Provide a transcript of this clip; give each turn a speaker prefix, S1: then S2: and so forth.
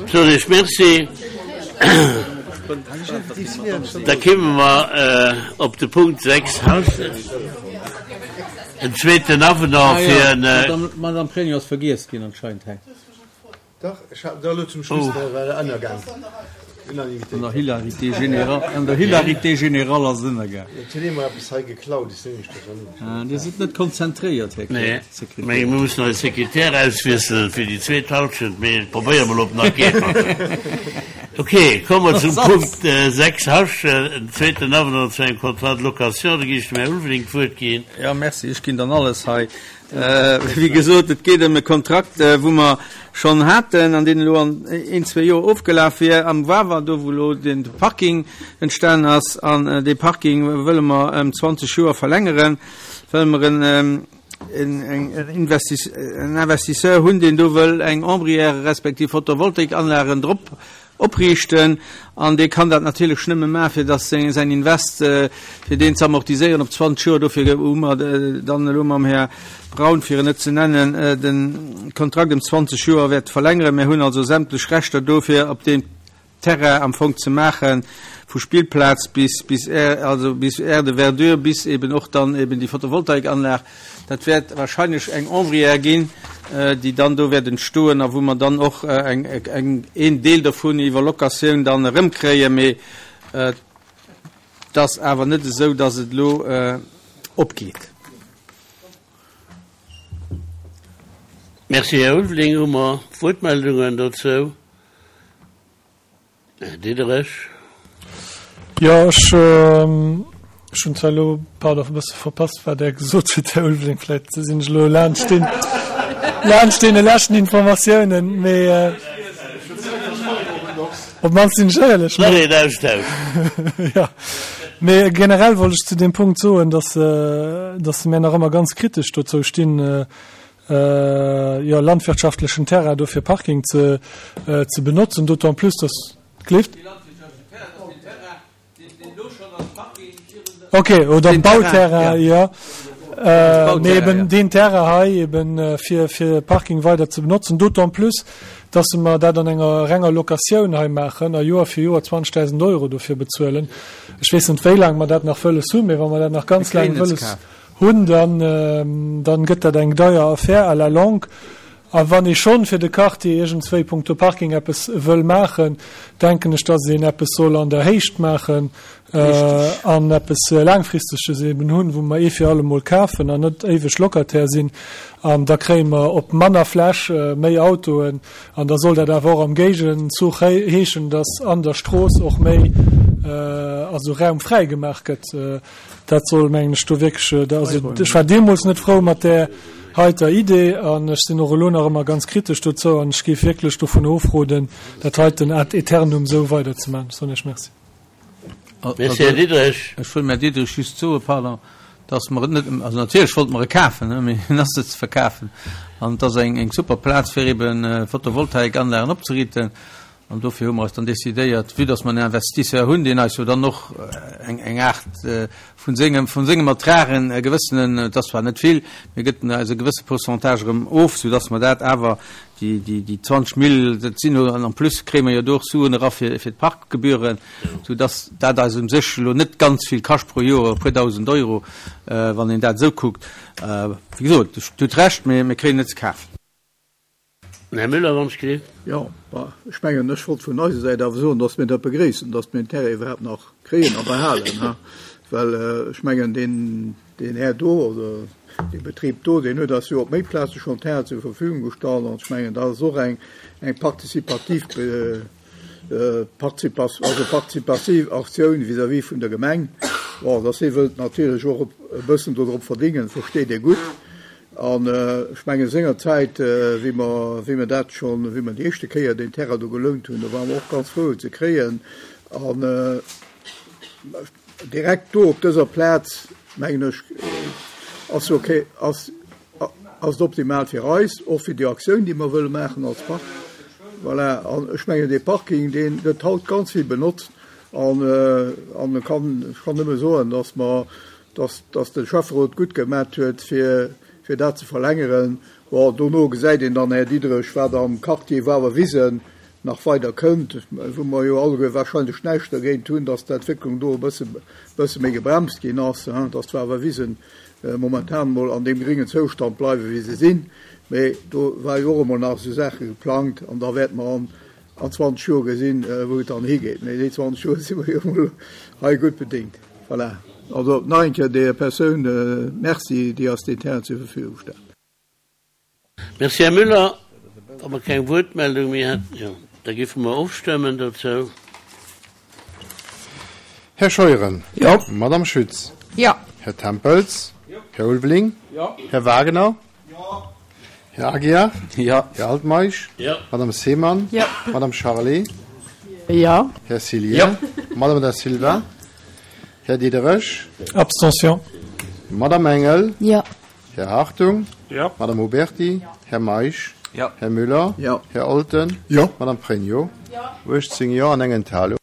S1: Soen ech Merci. Da kéime mer op de Punkt 6, en zweeten Avenant fir en.
S2: D'Madame Pregno ass vergiess ginn anscheinend hei.
S3: Dach, ech hat da elo zum Schluss, oh. war der ënnergaang.
S2: Unanimitéit. An der Hilarité générale, an der Hilarité générale ass et ënnergaang.
S3: Et huet ee mer eppes hei geklaut, ech sinn nicht
S2: ah, Dir sidd net konzentréiert, Här
S1: nee. Sekretär. Mee mir mussen eise Sekretär auswiesselen fir déi zweet Halschent, mee probéiere mol, ob nach geet. Ok, komme mer zum Punkt 6, Hasch, en zweeten Avenant zu engem Contrat de location. Da ginn ech dem Här Ulveling d'Wuert ginn.
S2: Ja, merci, ech ginn dann alles hei. Wéi gesot, et geet ëm e Kontrakt, wou mer schonn haten an deen elo an een, zwee Joer ofgelaf wier am Wawer, do wou elo de Parking entstanen ass. An dee Parking wëlle mer ëm 20 Joer verlängeren, well mer en Investisseur hunn, deen do wëll eng Ombrière respektiv Photovoltaikanlagen drop opriichten an dee kann dat natierlech nëmme maachen, fir dass säin Invest, fir deen ze amortiséieren op 20 Joer. Dofir hu mer dann elo mam Här Braun, fir en net ze nennen, de Kontrakt ëm 20 Joer wäerte verlängeren. Mir hunn also sämtlech Rechter do, fir op deem Terrain am Fong ze maachen, vu Spillplaz bis, bis, also bis Aire de verdure, bis eben och dann eben déi Photovoltaikanlag. Dat wäert wahrscheinlech eng Ombrière ginn, déi dann do wäert entstoen a wou mer dann och eng, eng, een Deel dovun iwwer Locatioun dann erëmkréien. Mee et ass awer net esou, dass et elo opgeet.
S1: Merci, Här Ulveling. Hu mer Wuertmeldungen dozou? Här Diderich.
S4: Jo, ech hunn zwar elo, pardon, e bësse verpasst, wat Der gesot hutt, Här Ulveling. Vläicht sinn ech elo laanscht den, laanscht deene leschten Informatiounen, mee op d'mannst sinn ech éierlech.
S1: Nach een Austausch.
S4: Jo, mee generell wollt ech zu deem Punkt soen, dass, dass mir nach ëmmer ganz kritesch dozou stinn, jo, landwirtschaftlechen Terrain do fir Parking ze ze benotzen, d'autant plus dass gleeft. Ok, oder Bauterrain, jo. Mee eben deen Terrain hei eben fir fir Parking weider ze benotzen, d'autant plus dass mer dat an enger renger Locatioun hei maachen a Joer fir Joer 20.000 Euro dofir bezuelen. Ech weess net wéi laang mer dat nach wëlles hunn, mee wa mer dat nach ganz laang wëlles hunn, dann, dann gëtt dat eng deier Affär à la longue. A wann ee schonn fir de Quartier iergendswéi punkto Parking eppes wëll maachen, denken ech, dass een eppes soll an der Héicht maachen an eppes Laangfristeges eben hunn, wou mer ee fir alle Mol kafen an net éiweg Locataire sinn. An da kréie mer op manner Fläch méi Autoen. An da soll dat awer och am Géigenzuch heeschen, dass an der Strooss och méi, also Raum fräi gemaach gëtt. Dat soll, mengen ech, do wierklech, also ech war deemools net frou mat där heiter Idee an ech sinn och elo nach ëmmer ganz kritesch dozou an ech géif wierklech dovun ofroden, dat heiten ad aeternum esou weiderzemaachen. Ech soen Iech Merci.
S1: Merci, Här Diderich.
S2: Ech wëll dem Här Diderich just soen, pardon, dass mer et net, also natierlech wollte mer e kafen, mee en ass net ze verkafen an et ass eng super Plaz, fir eeben Photovoltaikanlagen opzeriiten. An dofir hu mer eis dann decidéiert, vue dass mer en Investisseur hunn, deen eis jo dann och eng, eng Aart vun sengem, vun sengem Ertrag en e gewëssenen, et ass zwar net vill, mee gëtt en eis e gewësse Pourcentage erëm of, soudass mer dat awer, déi, déi, déi 20 Mille, dat sinn jo, an en plus kréie mer jo do och Suen era fir, fir d'Parkgebühren, soudass dat eis u sech elo net ganz vill kascht pro Joer, e puer Dausend Euro, wann een dat esou kuckt. Wéi gesot, Dir hutt Recht, mee mir kréien et net ze kafen.
S1: Här Müller, wann ech gleef.
S3: Jo, bah, ech mengen, ech wollt vun eiser Säit awer soen, dass mir dat begréissen, dass mir den Terrain iwwerhaapt nach kréien a behalen, ha, well ech mengen, deen, deen Här do oder dee Betrib do, deen huet eis jo op méi Plaze schonn Terrain zur Verfügung gestallt an ech mengen, dat ass och eng, eng participativ, also partizipativ Aktioun vis-à-vis vun der Gemeng. Bon, dass hie wëllt natierlech och e bëssen dodrop verdingen, versteet ee gutt. An ech mengen, sengerzäit, wéi mer, wéi mer dat schonn, wéi mer déi éischte Kéier deen Terrain do gelount hunn, do ware mer och ganz frou, en ze kréien. An direkt do op dëser Plaz, mengen ech, ass ok, ass, ass et optimal fir eis, och fir déi Aktioun, déi mer wëlle maachen als Park. Voilà. An ech mengen, dee Parking, dee gëtt haut ganz vill benotzt. An, an ech kann, ech kann nëmme soen, dass mer, dass, dass de Schäfferot gutt gemat huet, fir, fir dat ze verlängeren. Bon, dono gesäit een dann, Här Diderich, wat am Quartier Wawer Wisen. nach weider kënnt, wou mer jo alleguer wahrscheinlech näischt dergéint hunn, dass d'Entwécklung do e bësse, bësse méi gebremst ginn ass, dass d'Wawerwisen momentan emol an deem gréngen Zoustand bleiwen, wéi se sinn. Mee do war jo och emol nach esou Saache geplangt an da wäerte mer an, an 20 Joer gesinn, wou et dann higeet. Mee déi 20 Joer si mer jo emol hei gutt bedéngt. Voilà. Also nach eng Kéier där Persoun Merci, déi eis deen Terrain zur Verfügung stellt.
S1: Merci, Här Müller. Wa mer keng Wuertmeldung méi hätten, jo, da géife mer ofstëmmen dozou.
S5: Här Scheuren.
S2: Jo.
S5: Madame Schütz.
S6: Jo.
S5: Här Tempels.
S2: Jo.
S5: Här Ulveling.
S2: Jo.
S5: Här Wagener.
S2: Jo.
S5: Här Aguiar.
S2: Jo.
S5: Här Altmeisch.
S1: Jo.
S5: Madame Seemann.
S6: Jo.
S5: Madame Charlé.
S6: Jo.
S5: Här Cillien.
S2: Jo.
S5: Madame Da Silva. Här Diderich.
S4: Abstention.
S5: Madame Engel.
S6: Jo.
S5: Här Hartung.
S4: Jo.
S5: Madame Huberty.
S6: Jo.
S5: Här Meisch.
S2: Jo.
S5: Här Müller.
S3: Jo.
S5: Här Olten.
S3: Jo.
S5: Madame Pregno.
S6: Jo.
S5: 18 Jo an eng Enthalung.